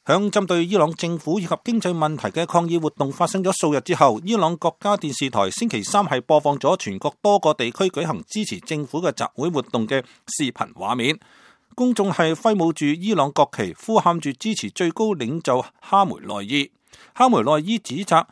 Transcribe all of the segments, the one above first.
響針對伊朗政府以及經濟問題嘅抗議活動發生咗數日之後，伊朗國家電視台星期三係播放咗全國多個地區舉行支持政府嘅集會活動嘅視頻畫面。公眾係揮舞住伊朗國旗，呼喊住支持最高領袖哈梅內伊。哈梅內伊指責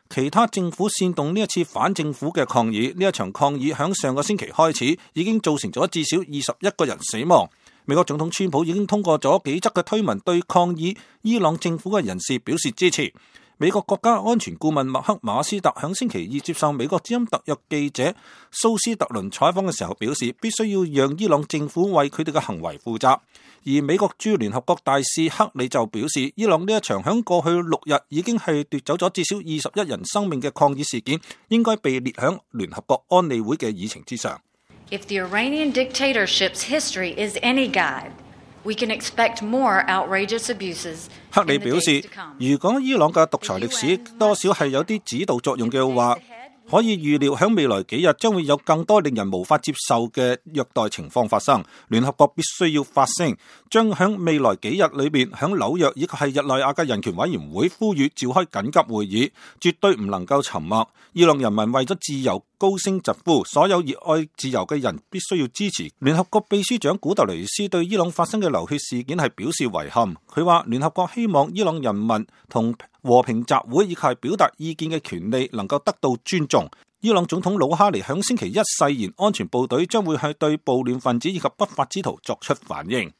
其他政府煽動呢一次反政府嘅抗議。呢一場抗議響上個星期開始，已經造成咗至少21個人死亡。美國總統川普已經通過咗幾則嘅推文，對抗議伊朗政府嘅人士表示支持。美國國家安全顧問麥克馬斯特響星期二接受美國之音特約記者蘇斯特倫採訪嘅時候表示，必須要讓伊朗政府為佢哋嘅行為負責。而美國駐聯合國大使克里就表示，伊朗呢一場響過去6日已經係奪走咗至少21人生命嘅抗議事件，應該被列響聯合國安理會嘅議程之上。If the Iranian dictatorship's history is any guide, we can expect more outrageous abuses. 克里表示，如果伊朗嘅獨裁歷史多少係有啲指導作用嘅話，可以預料喺未來幾日將會有更多令人無法接受嘅虐待情況發生。聯合國必須要發聲，將喺未來幾日裏面喺紐約以及係日內瓦嘅人權委員會呼籲召開緊急會議，絕對唔能夠沉默。伊朗人民為咗自由高聲疾呼，所有熱愛自由嘅人必須要支持。聯合國秘書長古特雷斯對伊朗發生嘅流血事件係表示遺憾。佢話聯合國希望伊朗人民同和平集會以及係表達意見嘅權利能夠得到尊重。伊朗總統魯哈尼響星期一誓言，安全部隊將會係對暴亂分子以及不法之徒作出反應。